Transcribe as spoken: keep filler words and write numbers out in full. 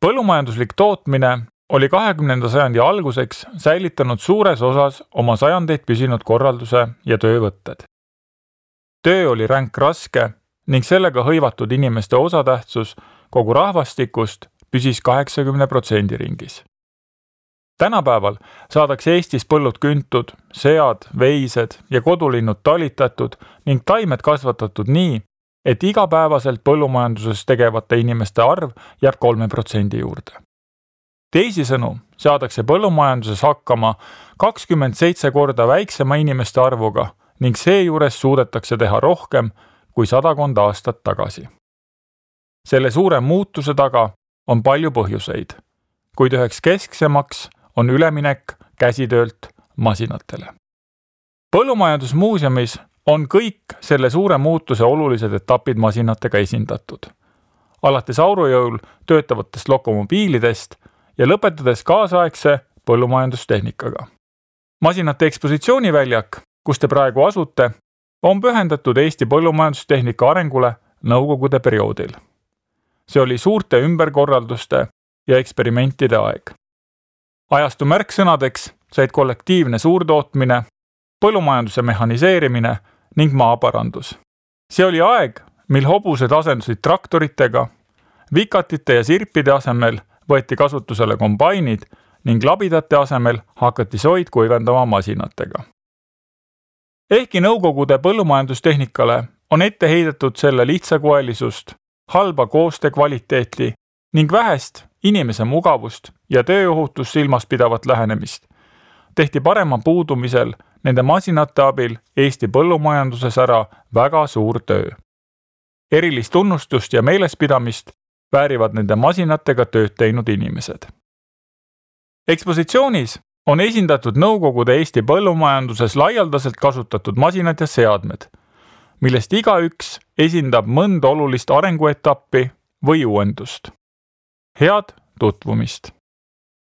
Põllumajanduslik tootmine oli kahekümnenda sajandi alguseks säilitanud suures osas oma sajandeid püsinud korralduse ja töövõtted. Töö oli ränk raske ning sellega hõivatud inimeste osatähtsus kogu rahvastikust püsis kaheksakümne protsendi ringis. Tänapäeval saadakse Eestis põllud küntud, sead, veised ja kodulinnud talitatud ning taimed kasvatatud nii, et igapäevaselt põllumajanduses tegevate inimeste arv jääb kolme protsendi juurde. Teisisõnu saadakse põllumajanduses hakkama kakskümmend seitse korda väiksema inimeste arvuga ning seejuures suudetakse teha rohkem kui sadakond aastat tagasi. Selle suure muutuse taga on palju põhjuseid, kuid üheks kesksemaks on üleminek käsitöölt masinatele. Põllumajandusmuuseumis on kõik selle suure muutuse olulised etapid masinatega esindatud. Alates aurujõul töötavatest lokomobiilidest ja lõpetades kaasaegse põllumajandustehnikaga. Masinate ekspositsiooniväljak, kus te praegu asute, on pühendatud Eesti põllumajandustehnika arengule nõukogude perioodil. See oli suurte ümberkorralduste ja eksperimentide aeg. Ajastu märksõnadeks said kollektiivne suurtootmine, põllumajanduse mehhaniseerimine ning maaparandus. See oli aeg, mil hobused asendusid traktoritega, vikatite ja sirpide asemel võeti kasutusele kombainid ning labidate asemel hakati soid kuivendama masinatega. Ehkki nõukogude põllumajandustehnikale on ette heidetud selle lihtsakoelisust, halba koostöö kvaliteeti ning vähest inimese mugavust ja tööohutust silmas pidavat lähenemist, tehti parema puudumisel nende masinate abil Eesti põllumajanduses ära väga suur töö. Erilist tunnustust ja meelespidamist väärivad nende masinatega tööd teinud inimesed. Ekspositsioonis on esindatud nõukogude Eesti põllumajanduses laialdaselt kasutatud masinad ja seadmed, millest igaüks esindab mõnda olulist arenguetappi või uuendust. Head tutvumist!